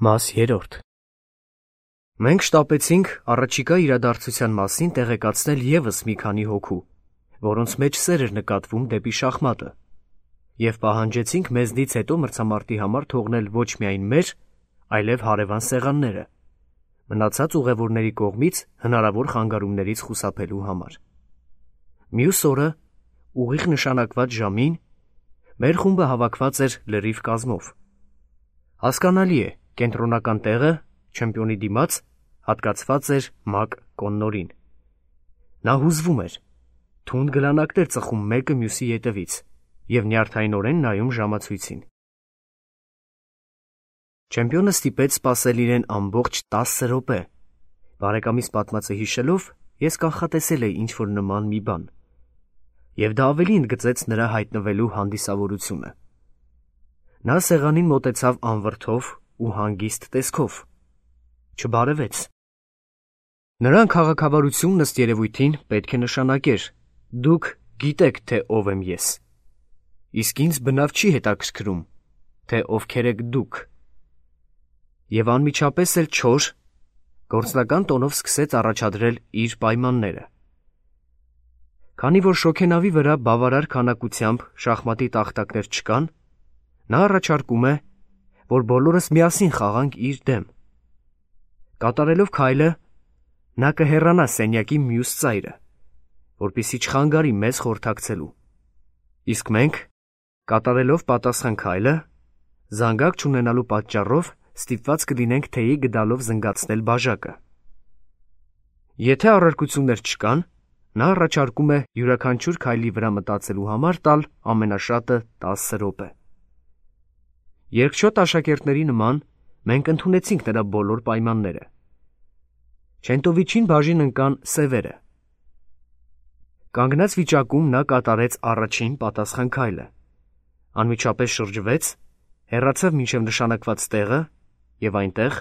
Մաս 3 Մենք շտապեցինք առաջիկա իրադարձության մասին տեղեկացնել ևս մի քանի հոգու, որոնց մեջ սեր էր նկատվում դեպի շախմատը, և պահանջեցինք մեզնից հետո մրցամարտի համար թողնել ոչ միայն մեր, այլև հարևան սեղանները, մնացած ուղևորների կողմից հնարավոր խանգարումներից խուսափելու համար։ Մյուս օրը, ուղիղ նշանակված ժամին, մեր խումբը հավաքված էր լրիվ կազմով։ Հասկանալի է, կենտրոնական տեղը, չեմպիոնի դիմաց, հատկացված էր Մակ Կոննորին։ Նա հուզվում էր, թունդ գլանակներ ծխում մեկը մյուսի ետևից և նյարդայնորեն նայում ժամացույցին։ Չեմպիոնը ստիպեց սպասել իրեն ամբողջ 10 րոպե։ Բարեկամիս պատմածը հիշելով, ես կանխատեսել էի ինչ-որ նման մի բան, և դա ավելի ընդգծեց նրա հայտնվելու հանդիսավորությունը։ Նա սեղանին մոտեցավ անվրդով ու հանգիստ տեսքով, չբարևեց։ Նրան քաղաքավարությունն ըստ երևույթին պետք է նշանակեր. «Դուք գիտեք, թե ով եմ ես, իսկ ինձ բնավ չի հետաքրքրում, թե ովքեր եք դուք»։ Եվ անմիջապես էլ չոր, գործնական տոնով սկսեց առաջադրել իր պայմանները։ Քանի որ շոգենավի վրա բավարար քանակությամբ շախմատի տախտակներ չկան, նա առաջարկում է, որ բոլորս միասին խաղանք իր դեմ։ Կատարելով քայլը, նա կհեռանա սենյակի մյուս ծայրը, որպեսզի չխանգարի մեզ խորհրդակցելու, իսկ մենք, կատարելով պատասխան քայլը, զանգակ չունենալու պատճառով ստիպված կլինենք թեյի գդալով զնգացնել բաժակը։ Եթե առարկություններ չկան, նա առաջարկում է յուրաքանչյուր քայլի վրա մտածելու համար տալ ամենաշատը 10 րոպե։ Երկչոտ աշակերտների նման մենք ընդունեցինք նրա բոլոր պայմանները։ Չենտովիչին բաժին ընկան սևերը։ Կանգնած վիճակում նա կատարեց առաջին պատասխան քայլը, անմիջապես շրջվեց, հեռացավ մինչև նշանակված տեղը և այնտեղ,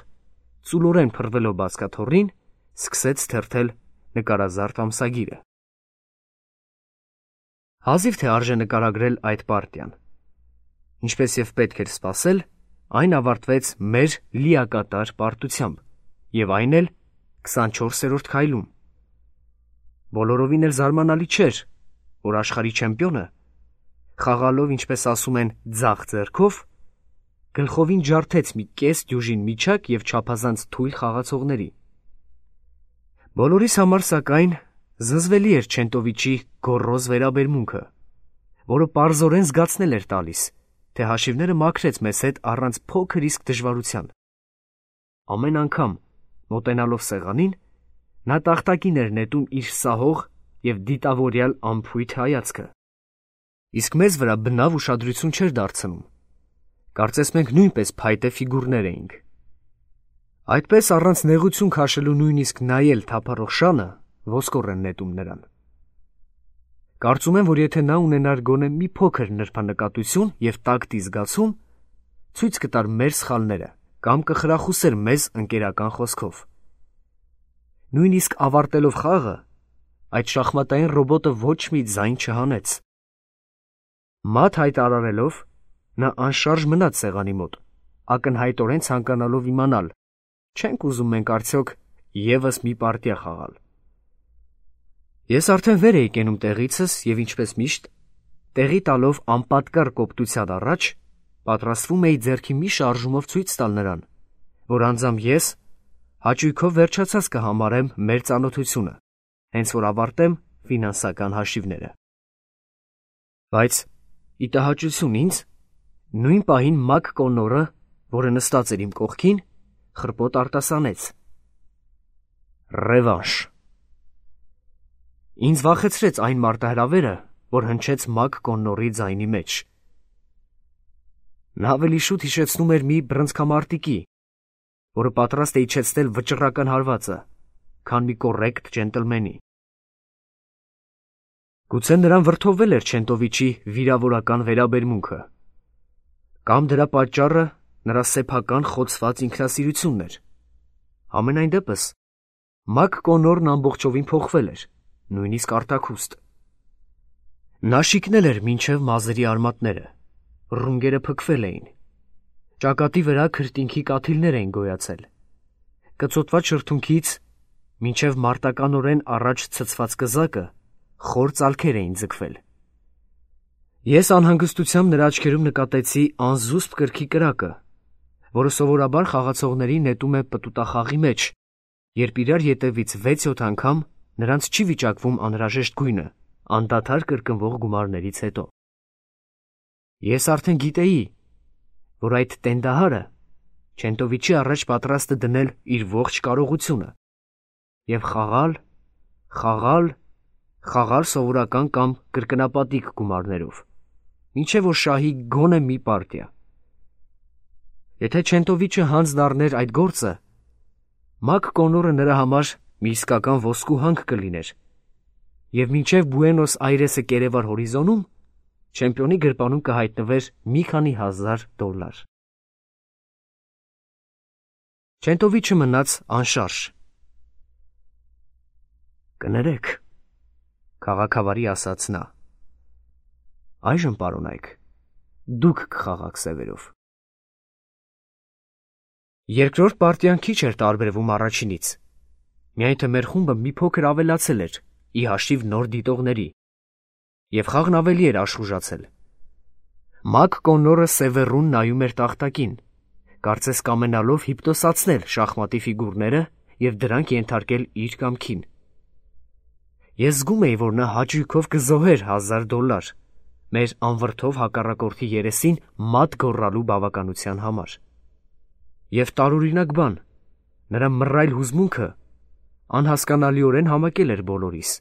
ծուլորեն փռվելով բազկաթոռին, սկսեց թերթել նկարազարդ ամսագիրը։ Հազիվ թե արժե նկարագրել այդ պարտիան։ Ինչպես և պետք էր սպասել, այն ավարտվեց մեր լիակատար պարտությամբ, և այն էլ 24-րդ քայլում։ Բոլորովին էլ զարմանալի չէր, որ աշխարհի չեմպիոնը, խաղալով, ինչպես ասում են, ձախ ձեռքով, գլխովին ջարդեց մի կես դյուժին միջակ և չափազանց թույլ խաղացողների։ Բոլորիս համար, սակայն, զզվելի էր Չենտովիչի գոռոզ վերաբերմունքը, որը պարզորեն զգացնել էր տալիս, թե հաշիվները մաքրեց մեզ հետ առանց փոքր իսկ դժվարության։ Ամեն անգամ, մոտենալով սեղանին, նա տախտակին էր նետում իր սահող և դիտավորյալ անփույթ հայացքը, իսկ մեզ վրա բնավ ուշադրություն չէր դարձնում։ Կարծես մենք նույնպես փայտե ֆիգուրներ էինք։ Այդպես առանց նեղություն քաշելու նույնիսկ նայել թափառող շանը ոսկոր են նետում նրան։ Կարծում եմ, որ եթե նա ունենար գոնե մի փոքր նրբանկատություն և տակտի զգացում, ցույց կտար մեր սխալները կամ կխրախուսեր մեզ ընկերական խոսքով։ Նույնիսկ ավարտելով խաղը, այդ շախմատային ռոբոտը ոչ մի ձայն չհանեց։ Մատ հայտարարելով, նա անշարժ մնաց սեղանի մոտ, ակնհայտորեն ցանկանալով իմանալ, չենք ուզում մենք արդյոք ևս մի պարտիա խաղալ։ Ես արդեն վեր էի կենում տեղիցս և ինչպես միշտ, տեղի տալով անպատկառ կոպտության առաջ, պատրաստվում էի ձեռքի մի շարժումով ցույց տալ նրան, որ անձամբ ես հաճույքով վերջացած կհամարեմ մեր ծանոթությունը, հենց որ ավարտեմ ֆինանսական հաշիվները։ Բայց, ի տհաճություն ինձ, նույն պահին Մակ Կոննորը, որը նստած էր իմ կողքին, խռպոտ արտասանեց. «Ռևանշ»։ Ինձ վախեցրեց այն մարտահրավերը, որ հնչեց Մակ Կոննորի ձայնի մեջ։ Նա ավելի շուտ հիշեցնում էր մի բռնցքամարտիկի, որը պատրաստ է իջեցնել վճռական հարվածը, քան մի կոռեկտ ջենտլմենի։ Գուցե նրան վրդովվել էր Չենտովիչի վիրավորական վերաբերմունքը, կամ դրա պատճառը նրա սեփական խոցված ինքնասիրությունն էր։ Համենայն դեպս, Մակ Կոննորն ամբողջովին փոխվել էր, նույնիսկ արտաքուստ։ Նա շիկնել էր մինչև մազերի արմատները, ռունգերը փքվել էին, Ճակատի վրա քրտինքի կաթիլներ էին գոյացել։ Կծոտված շրթունքից մինչև մարտականորեն առաջ ցցված կզակը խոր ծալքեր էին ձգվել։ Ես անհանգստությամբ նրա աչքերում նկատեցի անզուսպ կրքի կրակը, որը սովորաբար խաղացողների նետում է պտուտախաղի մեջ, երբ իրար ետևից 6-7 անգամ նրանց չի վիճակվում անհրաժեշտ գույնը, անդադար կրկնվող գումարներից հետո։ Ես արդեն գիտեի, որ այդ տենդահարը Չենտովիչի առաջ պատրաստ է դնել իր ողջ կարողությունը և խաղալ սովորական կամ կրկնապատիկ գումարներով, մինչև որ շահի գոնե մի պարտիա։ Եթե Չենտովիչը հանձ դառներ այդ գործը, Մակ Կոնորը նրա համար մի իսկական ոսկու հանք կլիներ, և մինչև Բուենոս Այրեսը կերևար հորիզոնում չեմպիոնի գրպանում կհայտնվեր մի քանի հազար $։ Չենտովիչը մնաց անշարժ։ «Կներեք», քաղաքավարի ասաց նա, «այժմ պարոնայք, դուք կխաղաք սևերով»։ Երկրորդ պարտիան քիչ էր տարբերվում առաջինից, միայն թե մեր խումբը մի փոքր ավելացել էր ի հաշիվ նոր դիտողների, և խաղն ավելի էր աշխուժացել։ Մակ Կոնորը սևեռուն նայում էր տախտակին, կարծես կամենալով հիպնոսացնել շախմատի ֆիգուրները և դրանք ենթարկել իր կամքին։ Ես զգում էի, որ նա հաճույքով կզոհեր $1000 մեր անվրդով հակառակորդի երեսին մատ գոռալու բավականության համար։ Եվ տարօրինակ բան, նրա մռայլ հուզմունքը անհասկանալիորեն համակել էր բոլորիս։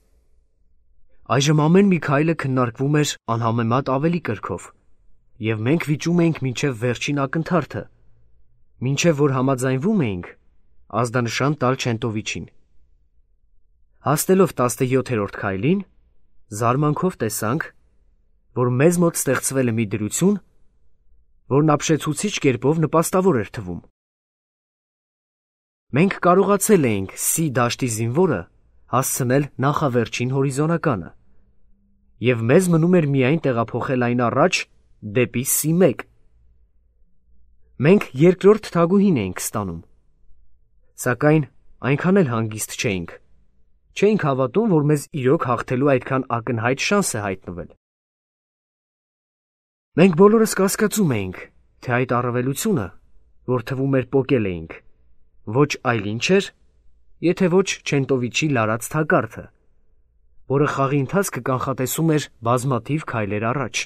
Այժմ ամեն մի քայլը քննարկվում էր անհամեմատ ավելի կրքով, և մենք վիճում էինք մինչև վերջին ակնթարթը, մինչև որ համաձայնվում էինք ազդանշան տալ Չենտովիչին։ Հասնելով 17-րդ քայլին, զարմանքով տեսանք, որ մեզ մոտ ստեղծվել է մի դրություն, որն ապշեցուցիչ կերպով նպաստավոր էր թվում։ Մենք կարողացել էինք C դաշտի զինվորը հասցնել նախավերջին հորիզոնականը, և մեզ մնում էր միայն տեղափոխել այն առաջ դեպի C1։ Մենք երկրորդ թագուհին էինք ստանում, սակայն այնքան էլ հանգիստ չէինք հավատում, որ մեզ իրոք հաղթելու այդքան ակնհայտ շանս է հայտնվել։ Մենք բոլորս կասկածում էինք, թե այդ առավելությունը, որ թվում էր պոկել էինք, ոչ այլ ինչ էր, եթե ոչ Չենտովիչի լարած թակարդը, որը խաղի ընթացքը կանխատեսում էր բազմաթիվ քայլեր առաջ։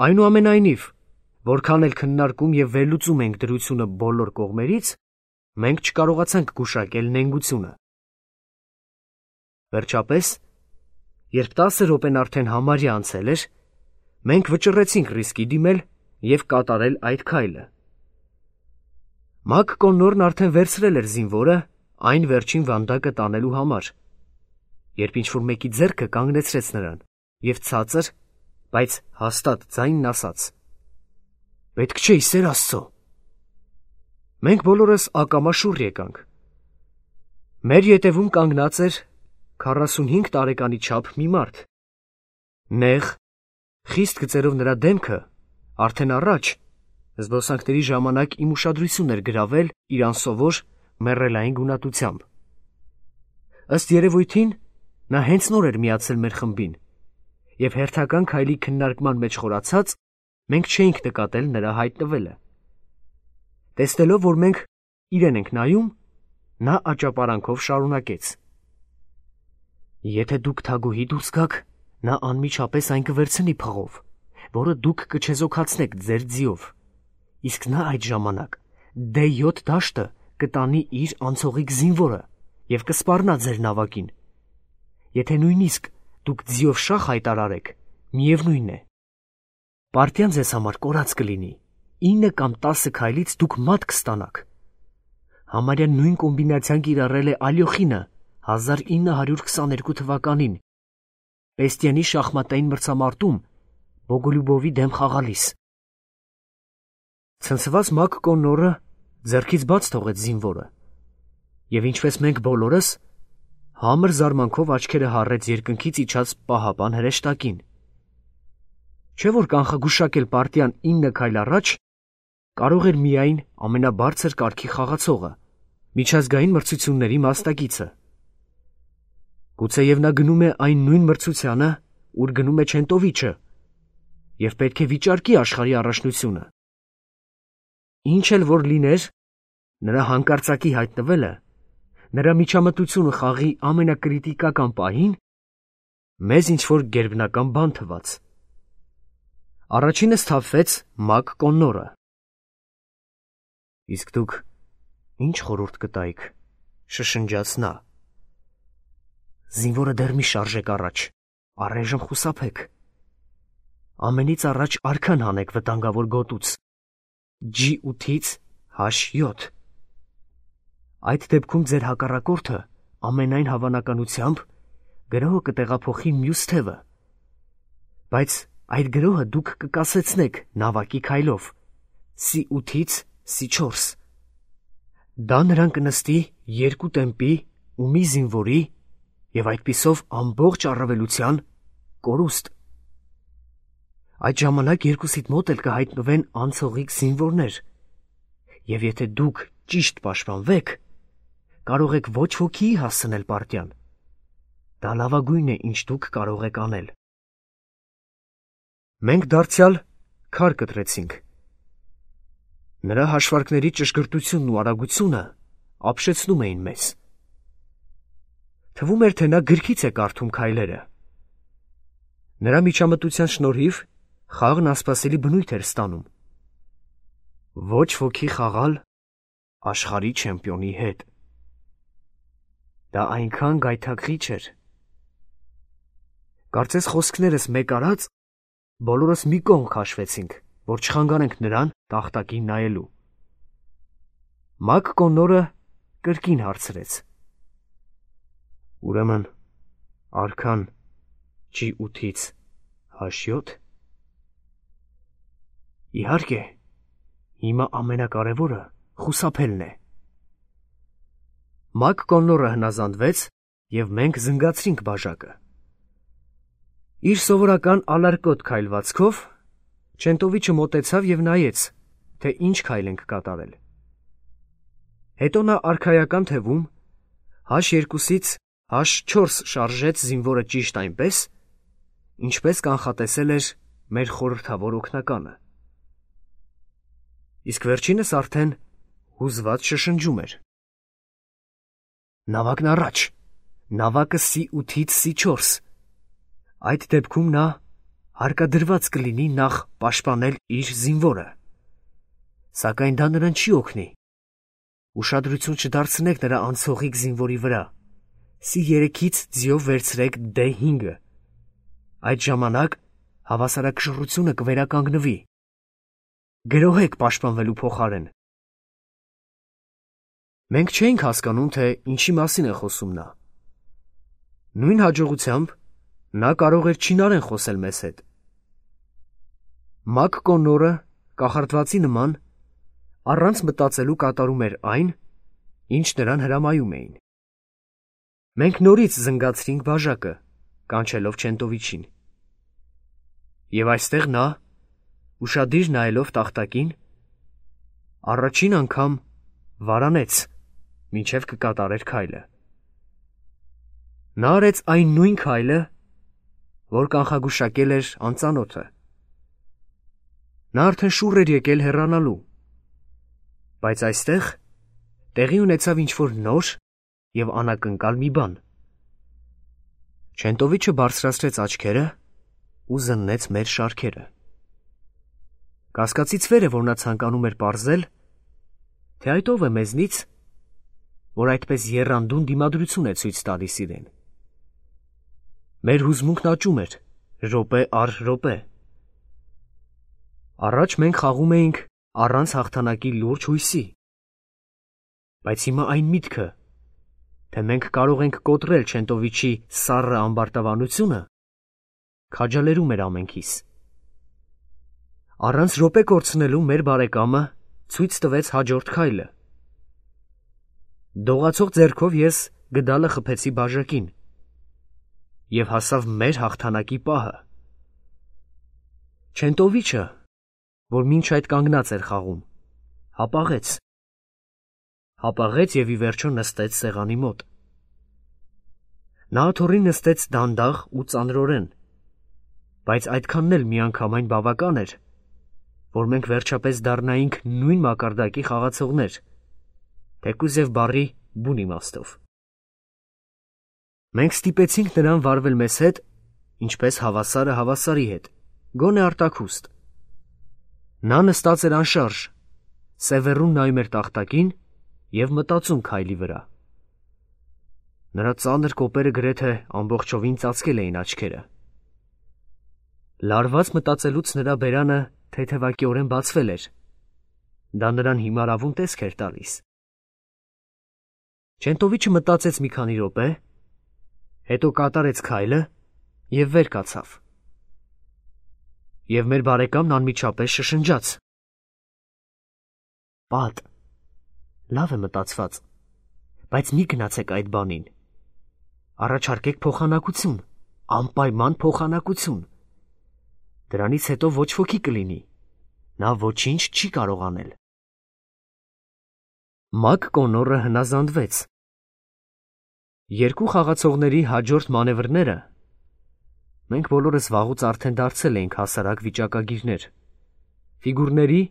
Այնուամենայնիվ, որքան էլ քննարկում և վերլուծում ենք դրությունը բոլոր կողմերից, մենք չկարողացանք գուշակել նենգությունը։ Վերջապես, երբ 10 րոպեն արդեն համարյա անցել էր, մենք վճռեցինք ռիսկի դիմել և կատարել այդ քայլը։ Մակ Կոնորն արդեն վերցրել էր զինվորը այն վերջին վանդակը տանելու համար, երբ ինչ-որ մեկի ձեռքը կանգնեցրեց նրան և ցածր, բայց հաստատ ձայնն ասաց. «Պետք չէ, ի սեր Աստծո»։ Մենք բոլորս ակամա շուռ եկանք։ Մեր ետևում կանգնած էր 45 տարեկանի չափ մի մարդ։ Նեղ, խիստ գծերով նրա դեմքը արդեն առաջ զբոսանքների ժամանակ իմ ուշադրությունն էր գրավել իր անսովոր մեռելային գունատությամբ։ Ըստ երևույթին, նա հենց նոր էր միացել մեր խմբին, և հերթական քայլի քննարկման մեջ խորացած, մենք չէինք նկատել նրա հայտնվելը։ Տեսնելով, որ մենք իրեն ենք նայում, նա աճապարանքով շարունակեց. «Եթե դուք թագուհի դուրս գաք, նա անմիջապես այն կվերցնի փղով, որը դուք կչեզոքացնեք ձեր ձիով, իսկ նա այդ ժամանակ D7 դաշտը կտանի իր անցողիկ զինվորը և կսպառնա ձեր նավակին։ Եթե նույնիսկ դուք ձիով շախ հայտարարեք, միևնույն է, պարտիան ձեզ համար կորած կլինի, 9 կամ 10 քայլից դուք մատ կստանաք։ Համարյա նույն կոմբինացիան կիրառել է Ալյոխինը 1922 թվականին Պեստիանի շախմատային մրցամարտում Բոգոլյուբովի դեմ խաղալիս»։ Ցնցված Մակ Կոնորը ձեռքից բաց թողեց զինվորը, և ինչպես մենք բոլորս, համր զարմանքով աչքերը հառեց երկնքից իջած պահապան հրեշտակին։ Չէ՞ որ կանխագուշակել պարտիան 9 քայլ առաջ կարող էր միայն ամենաբարձր կարգի խաղացողը, միջազգային մրցությունների մասնակիցը։ Գուցեև նա գնում է այն նույն մրցությանը, ուր գնում է Չենտովիչը, և պետք է վիճարկի աշխարհի առաջնությունը։ Ինչ էլ որ լիներ, նրա հանկարծակի հայտնվելը, նրա միջամտությունը խաղի ամենակրիտիկական պահին, մեզ ինչ-որ գերբնական բան թվաց։ Առաջինը սթափվեց Մակ Կոննորը։ «Իսկ դուք ինչ խորհուրդ կտայիք», շշնջաց նա։ «Զինվորը դեռ մի շարժեք առաջ, առայժմ խուսափեք։ Ամենից առաջ արքան հանեք վտանգավոր գոտուց, G8-ից H7։ Այդ դեպքում ձեր հակառակորդը ամենայն հավանականությամբ գրոհը կտեղափոխի մյուս թևը, բայց այդ գրոհը դուք կկասեցնեք նավակի քայլով, C8-ից C4։ Դա նրան կնստի 2 տեմպի ու մի զինվորի և այդպիսով ամբողջ առավելության կորուստ։ Այդ ժամանակ երկուսիդ մոտ էլ կհայտնվեն անցողիկ զինվորներ, և եթե դուք ճիշտ պաշտպանվեք, կարող եք ոչ ոքի հասցնել պարտյան։ Դա լավագույնն է, ինչ դուք կարող եք անել»։ Մենք դարձյալ քար կտրեցինք։ Նրա հաշվարկների ճշգրտությունն ու արագությունը ապշեցնում էին մեզ։ Թվում էր, թե նա գրքից է կարդում քայլերը։ Նրա միջամտության շնորհիվ խաղն անսպասելի բնույթ էր ստանում։ Ոչ ոքի խաղալ աշխարհի չեմպիոնի հետ։ Դա այնքան գայթակղիչ էր։ Կարծես խոսքներս մեկ արած, բոլորս մի կողմ քաշվեցինք, որ չխանգարենք նրան տախտակին նայելու։ Մակ Կոննորը կրկին հարցրեց. «Ուրեմն արքան G8-ից H7։ Իհարկե, հիմա ամենակարևորը խուսափելն է»։ Մակ Կոննորը հնազանդվեց, և մենք զնգացրինք բաժակը։ Իր սովորական ալարկոտ քայլվածքով Չենտովիչը մոտեցավ և նայեց, թե ինչ քայլ ենք կատարել։ Հետո նա արքայական թևում H2-ից H4 շարժեց զինվորը ճիշտ այնպես, ինչպես կանխատեսել էր մեր խորհրդավոր օգնականը։ Իսկ վերջինս արդեն հուզված շշնջում էր. «Նավակն առաջ, նավակը C8-ից C4։ Այդ դեպքում նա հարկադրված կլինի նախ պաշտպանել իր զինվորը։ Սակայն դա նրան չի օգնի։ Ուշադրություն չդարձնեք նրա անցողիկ զինվորի վրա։ C3-ից ձիով վերցրեք D5-ը։ Այդ ժամանակ հավասարակշռությունը կվերականգնվի։ Գրոհեք պաշտպանվելու փոխարեն»։ Մենք չէինք հասկանում, թե ինչի մասին է խոսում նա։ Նույն հաջողությամբ նա կարող էր չինարեն խոսել մեզ հետ։ Մակ Կոննորը կախարդվածի նման առանց մտածելու կատարում էր այն, ինչ նրան հրամայում էին։ Մենք նորից զնգացրինք բաժակը, կանչելով Չենտովիչին։ Եվ այստեղ նա, ուշադիր նայելով տախտակին, առաջին անգամ վարանեց, մինչև կկատարեր քայլը։ Նա արեց այն նույն քայլը, որ կանխագուշակել էր անծանոթը։ Նա արդեն շուռ էր եկել հեռանալու, բայց այստեղ տեղի ունեցավ ինչ-որ նոր և անակնկալ մի բան։ Չենտովիչը բարձրացրեց աչքերը ու զննեց մեր շարքերը։ Կասկածից վեր է, որ նա ցանկանում էր պարզել, թե այդ ով է մեզնից, որ այդպես եռանդուն դիմադրություն է ցույց տալիս իրեն։ Մեր հուզմունքն աճում էր րոպե առ րոպե։ Առաջ մենք խաղում էինք առանց հաղթանակի լուրջ հույսի, բայց հիմա այն միտքը, թե մենք կարող ենք կոտրել Չենտովիչի սառը ամբարտավանությունը, քաջալերում էր ամենքիս։ Առանց րոպե կորցնելու մեր բարեկամը ցույց տվեց հաջորդ քայլը։ Դողացող ձեռքով ես գդալը խփեցի բաժակին և հասավ մեր հաղթանակի պահը։ Չենտովիչը, որ մինչ այդ կանգնած էր խաղում, հապաղեց և ի վերջո նստեց սեղանի մոտ։ Նա աթոռին նստեց դանդաղ ու ծանրորեն, բայց այդքանն էլ միանգամայն բավական էր, որ մենք վերջապես դառնայինք նույն մակարդակի խաղացողներ, թեկուզ և բառի բուն իմաստով։ Մենք ստիպեցինք նրան վարվել մեզ հետ, ինչպես հավասարը հավասարի հետ, գոնե արտաքուստ։ Նա նստած էր անշարժ, սևեռուն նայում էր տախտակին և մտածում քայլի վրա։ Նրա ծանր կոպերը գրեթե ամբողջովին ծածկել էին աչքերը։ Լարված մտածելուց նրա բերանը թեթևակիորեն բացվել էր։ Դա նրան հիմարավուն տեսք էր տալիս։ Չենտովիչը մտածեց մի քանի րոպե, հետո կատարեց քայլը և վեր կացավ։ Եվ մեր բարեկամն անմիջապես շշնջաց. «Պատ, լավ է մտածված, բայց մի գնացեք այդ բանին։ Առաջարկեք փոխանակություն, անպայման փոխանակություն։ Դրանից հետո ոչ ոքի կլինի, նա ոչինչ չի կարող անել»։ Մակ Կոնորը հնազանդվեց։ Երկու խաղացողների հաջորդ մանևրները մենք բոլորս վաղուց արդեն դարձել էինք հասարակ վիճակագիրներ։ Ֆիգուրների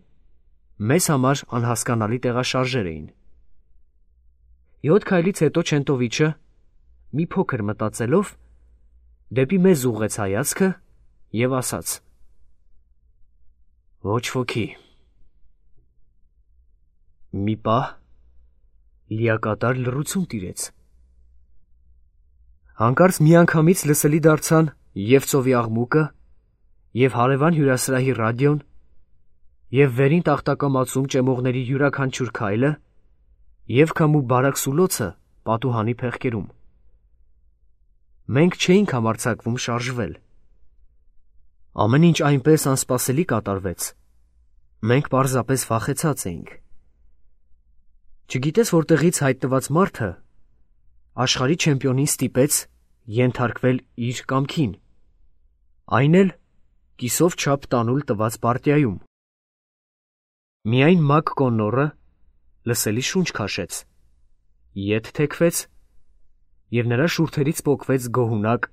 մեզ համար անհասկանալի տեղաշարժեր էին։ 7 քայլից հետո Չենտովիչը, մի փոքր մտածելով, դեպի մեզ ուղղեց հայացքը և ասաց. «Ոչ ոքի»։ Մի պահ լիակատար լռություն տիրեց։ Հանկարծ միանգամից լսելի դարձան և ծովի աղմուկը, և հարևան հյուրասրահի ռադիոն, և վերին տախտակամածում ճեմողների յուրաքանչյուր քայլը, և քամու բարակ սուլոցը պատուհանի փեղկերում։ Մենք չէինք համարձակվում շարժվել։ Ամեն ինչ այնպես անսպասելի կատարվեց։ Մենք պարզապես վախեցած էինք։ Չգիտես որտեղից հայտնված մարդը աշխարհի չեմպիոնին ստիպեց ենթարկվել իր կամքին, այն էլ կիսով չափ տանուլ տված պարտիայում։ Միայն Մակ Կոնորը լսելի շունչ քաշեց, ետ թեքվեց, և նրա շուրթերից պոկվեց գոհունակ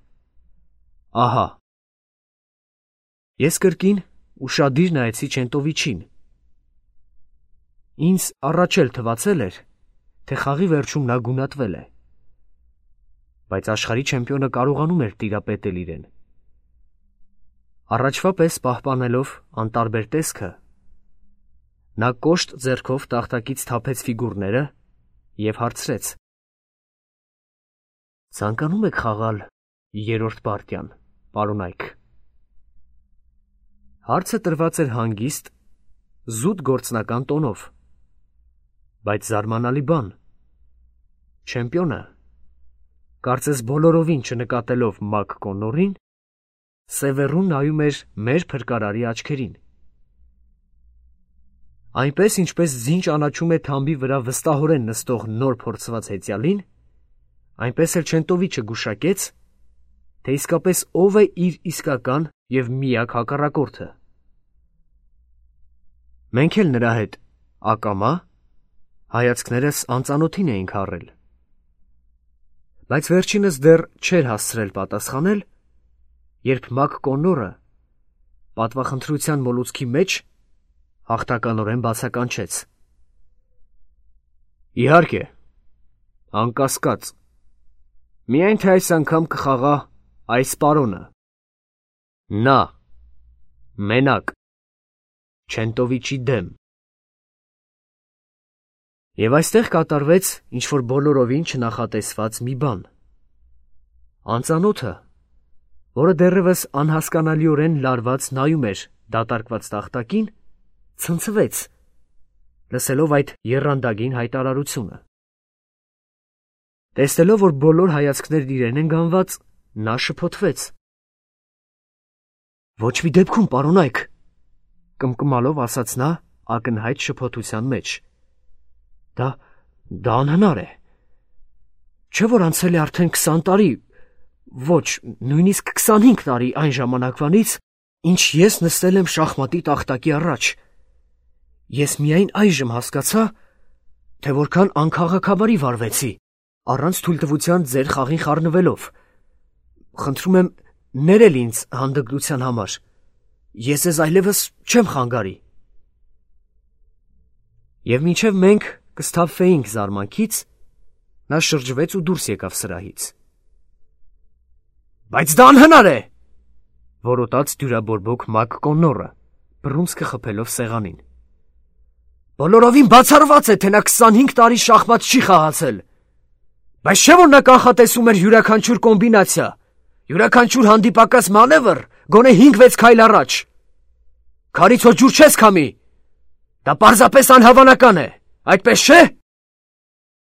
«ահա»։ Ես կրկին ուշադիր նայեցի Չենտովիչին։ Ինձ առաջ էլ թվացել էր, թե խաղի վերջում նա գունատվել է։ Բայց աշխարհի չեմպիոնը կարողանում էր տիրապետել իրեն։ Առաջվա պես պահպանելով անտարբեր տեսքը, նա կոշտ ձեռքով տախտակից թափեց ֆիգուրները և հարցրեց. «Ցանկանում եք խաղալ երրորդ պարտիան, պարոն Այք»։ Հարցը տրված էր հանգիստ, զուտ գործնական տոնով, բայց զարմանալի բան, չեմպիոնը, կարծես բոլորովին չնկատելով Մակ Կոնորին, սևեռուն նայում էր մեր փրկարարի աչքերին։ Այնպես, ինչպես ձին ճանաչում է թամբի վրա վստահորեն նստող նոր փորձված հեծյալին, այնպես էլ Չենտովիչը գուշակեց, թե իսկապես ով է իր իսկական և միակ հակառակորդը։ Մենք էլ նրա հետ ակամա հայացքներս անծանոթին էինք առել։ Բայց վերջինս դեռ չէր հասցրել պատասխանել, երբ Մակ Կոնորը պատվախնդրության մոլուցքի մեջ հաղթականորեն բացականչեց. «Իհարկե, անկասկած, միայն թե այս անգամ կխաղա այս պարոնը, նա, մենակ, Չենտովիչի դեմ»։ Եվ այստեղ կատարվեց ինչ-որ բոլորովին չնախատեսված մի բան։ Անծանոթը, որը դեռևս անհասկանալիորեն լարված նայում էր դատարկված տախտակին, ցնցվեց, լսելով այդ եռանդագին հայտարարությունը։ Տեսնելով, որ բոլոր հայացքներն իրեն են գանված, նա շփոթվեց. «Ոչ մի դեպքում, պարոն Այք», կմկմալով ասաց նա ակնհայտ շփոթության մեջ։ Դա անհնար է։ Չէ՞ որ անցել է արդեն 20 տարի, ոչ, նույնիսկ 25 տարի այն ժամանակվանից, ինչ ես նստել եմ շախմատի տախտակի առաջ։ Ես միայն այժմ հասկացա, թե որքան անքաղաքավարի վարվեցի, առանց թույլտվության ձեր խաղին խառնվելով։ Խնդրում եմ ներել ինձ հանդգնության համար։ Ես ձեզ այլևս չեմ խանգարի։ Եվ մինչև մենք կսթափվեինք զարմանքից, նա շրջվեց ու դուրս եկավ սրահից։ Բայց դա անհնար է, որոտաց դյուրաբորբոք Մակ Կոննորը, բռունցքը խփելով սեղանին։ Բոլորովին բացառված է, թե նա 25 տարի շախմատ չի խաղացել։ Բայց չէ՞ որ նա կանխատեսում էր յուրաքանչյուր կոմբինացիա, յուրաքանչյուր հանդիպակաց մանևր գոնե 5-6 քայլ առաջ։ Քարից հո ջուր չես քամի։ Դա պարզապես անհավանական է, այդպես չէ՞։